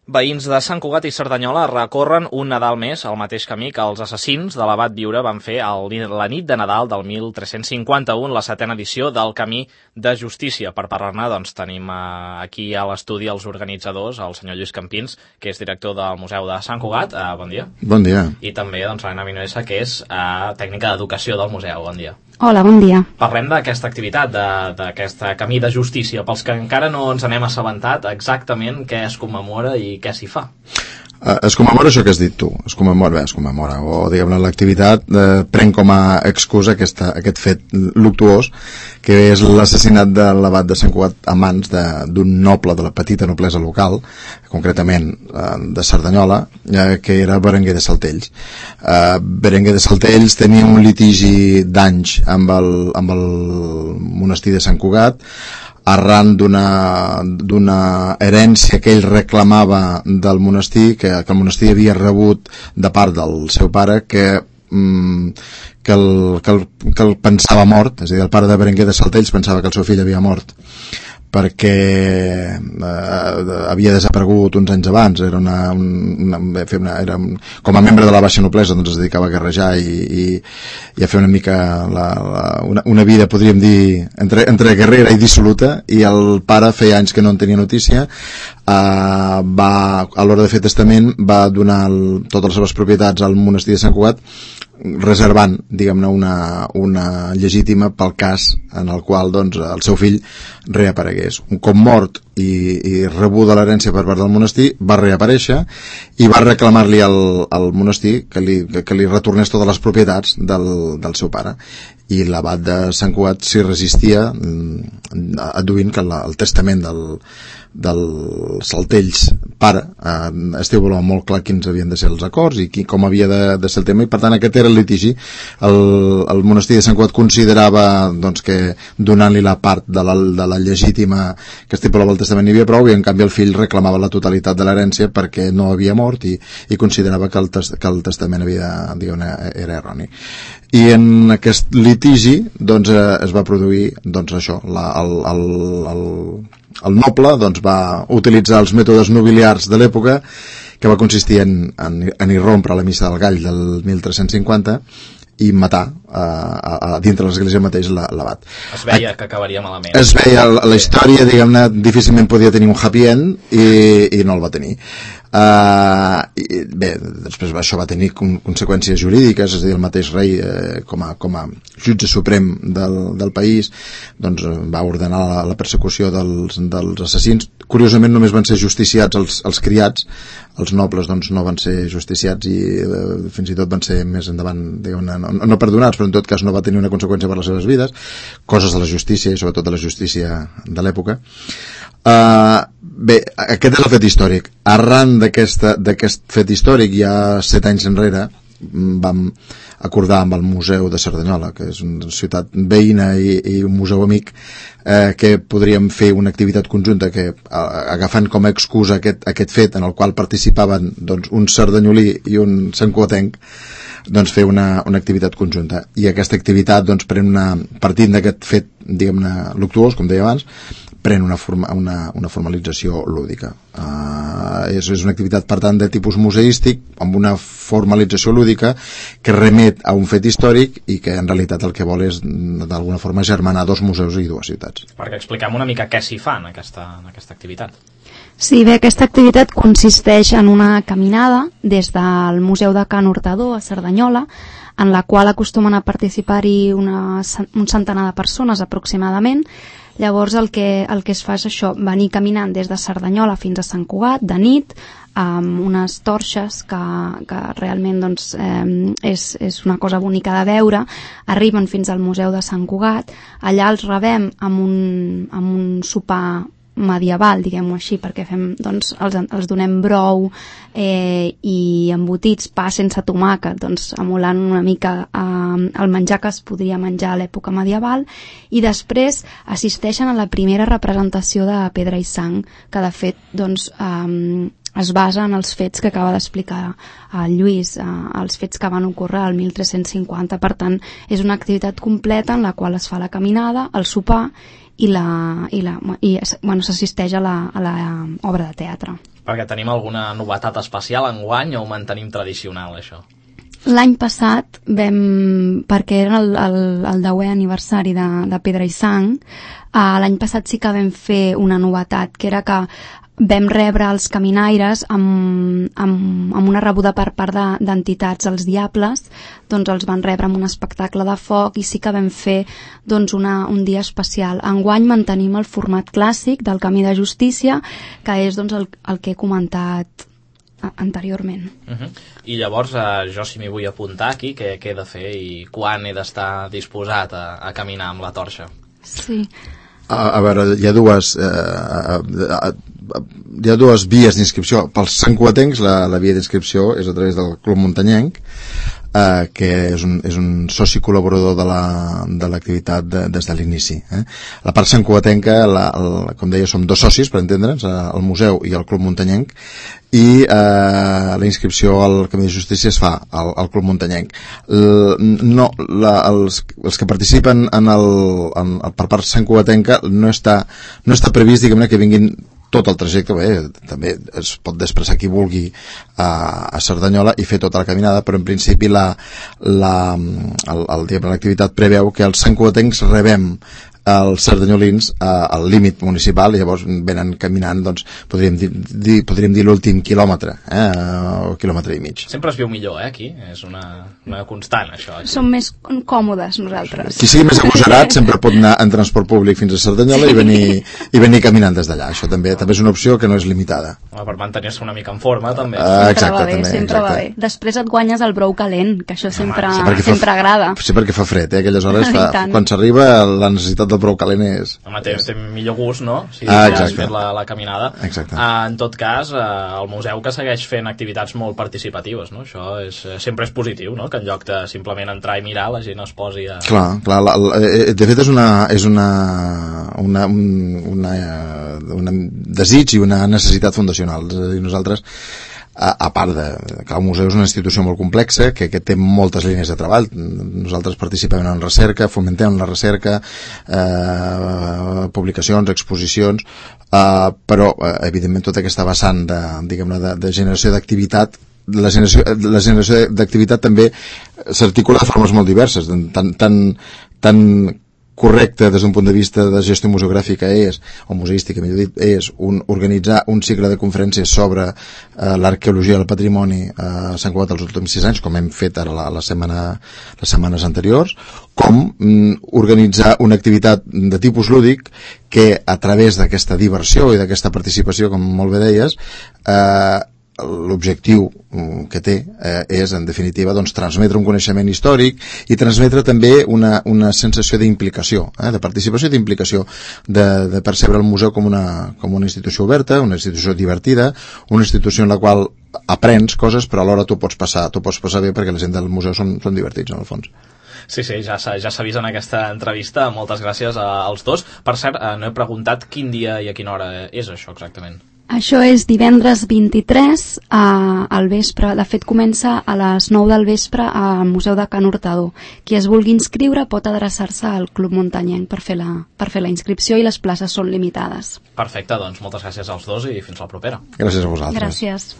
Veïns de Sant Cugat i Cerdanyola recorren un Nadal més al mateix camí que els assassins de l'Abat Viure van fer la nit de Nadal del 1351, la 7a edició del Camí de Justícia. Per parlar-ne, doncs, tenim aquí a l'estudi els organitzadors, el senyor Lluís Campins, que és director del Museu de Sant Cugat. Bon dia. Bon dia. I també, doncs, l'Anna Vinuesa, que és tècnica d'educació del museu. Bon dia. Hola, bon dia. Parlem d'aquesta activitat, d'aquest Camí de Justícia. Pels que encara no ens n'hem assabentat exactament què es commemora i què s'hi fa. Es commemora això que has dit tu, es commemora, o diguem-ne l'activitat pren com a excusa aquest fet luctuós, que és l'assassinat de l'abat de Sant Cugat a mans d'un noble de la petita noblesa local, concretament de Cerdanyola, que era Berenguer de Saltells. Berenguer de Saltells tenia un litigi d'anys amb el monestir de Sant Cugat, arran d'una herència que ell reclamava del monestir, que el monestir havia rebut de part del seu pare, que el pensava mort, és a dir, el pare de Berenguer de Saltells pensava que el seu fill havia mort perquè havia desaparegut uns anys abans, era com a membre de la baixa noblesa, doncs es dedicava a guerrejar i a fer una mica una vida, podríem dir, entre guerrera i dissoluta, i el pare feia anys que no en tenia notícia. A l'hora de fer testament va donar totes les seves propietats al monestir de Sant Cugat, reservant, diguem-ne, una llegítima pel cas en el qual, doncs, el seu fill reaparegués. Un cop mort i rebuda l'herència per part del monestir, va reaparèixer i va reclamar-li al monestir que li retornés totes les propietats del seu pare, i l'abat de Sant Cugat s'hi resistia, adduint que el testament del Saltells pare estava molt clar quins havien de ser els acords i com havia de ser el tema, i per tant aquest era el litigi. El monestir de Sant Cugat considerava, doncs, que donant-li la part de la llegítima que estipulava el testament n'hi havia prou, i en canvi el fill reclamava la totalitat de l'herència perquè no havia mort i considerava que el testament era erroni. I en aquest litigi, doncs, es va produir, doncs, això, el noble, doncs, va utilitzar els mètodes nobiliars de l'època, que va consistir en irrompre a la missa del gall del 1350 i matar dintre l'església mateix l'abat. Es veia que acabaria malament. Es veia la història, diguem-ne, difícilment podia tenir un happy end i no el va tenir. Bé, després això va tenir conseqüències jurídiques, és a dir, el mateix rei com a jutge suprem del país, doncs, va ordenar la persecució dels assassins. Curiosament només van ser justiciats els criats, els nobles, doncs, no van ser justiciats, i fins i tot van ser més endavant, diguem-ne, no perdonats, però en tot cas no va tenir una conseqüència per les seves vides, coses de la justícia, i sobretot de la justícia de l'època. Bé, aquest és el fet històric. Arran d'aquest fet històric, ja 7 anys enrere, vam acordar amb el Museu de Cerdanyola, que és una ciutat veïna i un museu amic, que podríem fer una activitat conjunta que, agafant com a excusa aquest fet en el qual participaven, doncs, un cerdanyolí i un santcugatenc, doncs fer una activitat conjunta. I aquesta activitat, doncs, partint d'aquest fet, diguem-ne, luctuós, com deia abans, pren una formalització lúdica. És una activitat, per tant, de tipus museístic, amb una formalització lúdica que remet a un fet històric i que en realitat el que vol és d'alguna forma germanar dos museus i dues ciutats. Perquè expliquem una mica què s'hi fa en aquesta activitat. Sí, bé, aquesta activitat consisteix en una caminada des del Museu de Can Hurtador a Cerdanyola, en la qual acostumen a participar-hi un centenar de persones aproximadament. Llavors el que es fa és això, venir caminant des de Cerdanyola fins a Sant Cugat de nit, amb unes torxes que realment, doncs, és una cosa bonica de veure. Arriben fins al Museu de Sant Cugat, allà els rebem amb un sopar medieval, diguem-ho així, perquè doncs, els donem brou i embotits, pa sense tomàquet, doncs, emulant una mica el menjar que es podria menjar a l'època medieval, i després assisteixen a la primera representació de Pedra i Sang, que de fet, doncs, es basa en els fets que acaba d'explicar el Lluís, els fets que van ocórrer al 1350. Per tant, és una activitat completa en la qual es fa la caminada, el sopar i s'assisteix a l'obra de teatre. Perquè tenim alguna novetat especial enguany o ho mantenim tradicional, això? L'any passat perquè era el 10è aniversari de Pedra i Sang, l'any passat sí que vam fer una novetat, que era que vam rebre els caminaires amb una rebuda per part d'entitats, els Diables, doncs els van rebre amb un espectacle de foc i sí que vam fer doncs, un dia especial. Enguany mantenim el format clàssic del Camí de Justícia, que és doncs, el que he comentat anteriorment. I llavors jo si m'hi vull apuntar aquí, què he de fer i quan he d'estar disposat a caminar amb la torxa? Sí. A veure, hi ha dues vies d'inscripció. Pels santcugatencs la via d'inscripció és a través del Club Muntanyenc, que és un soci col·laborador de l'activitat des de l'inici. La part santcugatenca, com deia, som 2 socis, per entendre'ns, el museu i el Club Muntanyenc, i la inscripció al Camí de Justícia es fa al Club Muntanyenc. Els que participen per part santcugatenca no està previst, diguem-ne, que vinguin tot el trajecte. També es pot desplaçar qui vulgui a Cerdanyola i fer tota la caminada, però en principi l'activitat preveu que els santcugatencs rebem els cerdanyolins al límit municipal i llavors venen caminant, doncs podríem dir l'últim quilòmetre, o quilòmetre i mig. Sempre es viu millor, aquí, és una constant, això. Som més còmodes nosaltres. Qui sigui més agosarat sempre pot anar en transport públic fins a Cerdanyola i venir caminant des d'allà. Això també és una opció que no és limitada. Per mantenir-se una mica en forma, també. Sempre va bé. Després et guanyes el brou calent, que això sempre agrada. Sí, perquè fa fred, aquelles hores quan s'arriba la necessitat del prou calent és... Home, té millor gust, no? Si has fet la caminada. Exacte. En tot cas, el museu que segueix fent activitats molt participatives, no? Això sempre és positiu, no? Que en lloc de simplement entrar i mirar, la gent es posi a... Clar, de fet és un desig i una necessitat fundacional. És a dir, nosaltres, a part que el museu és una institució molt complexa, que té moltes línies de treball. Nosaltres participem en recerca, fomentem la recerca, publicacions, exposicions, però evidentment tota aquesta vessant de generació d'activitat, la generació d'activitat també s'articula de formes molt diverses, tan correcte des d'un punt de vista de gestió museogràfica o museística, millor dit, és organitzar un cicle de conferències sobre l'arqueologia del patrimoni a Sant Cugat els últims 6 anys, com hem fet ara les setmanes anteriors, com organitzar una activitat de tipus lúdic que a través d'aquesta diversió i d'aquesta participació, com molt bé deies, l'objectiu que té és, en definitiva, doncs, transmetre un coneixement històric i transmetre també una sensació d'implicació, de participació i d'implicació, de percebre el museu com una institució oberta, una institució divertida, una institució en la qual aprens coses, però alhora tu pots passar bé perquè la gent del museu són divertits, en el fons. Sí, ja s'ha vist en aquesta entrevista. Moltes gràcies als dos. Per cert, no he preguntat quin dia i a quina hora és això exactament. Això és divendres 23 al vespre. De fet, comença a les 9 del vespre al Museu de Can Hurtador. Qui es vulgui inscriure pot adreçar-se al Club Muntanyenc per fer la inscripció i les places són limitades. Perfecte, doncs moltes gràcies als dos i fins la propera. Gràcies a vosaltres. Gràcies.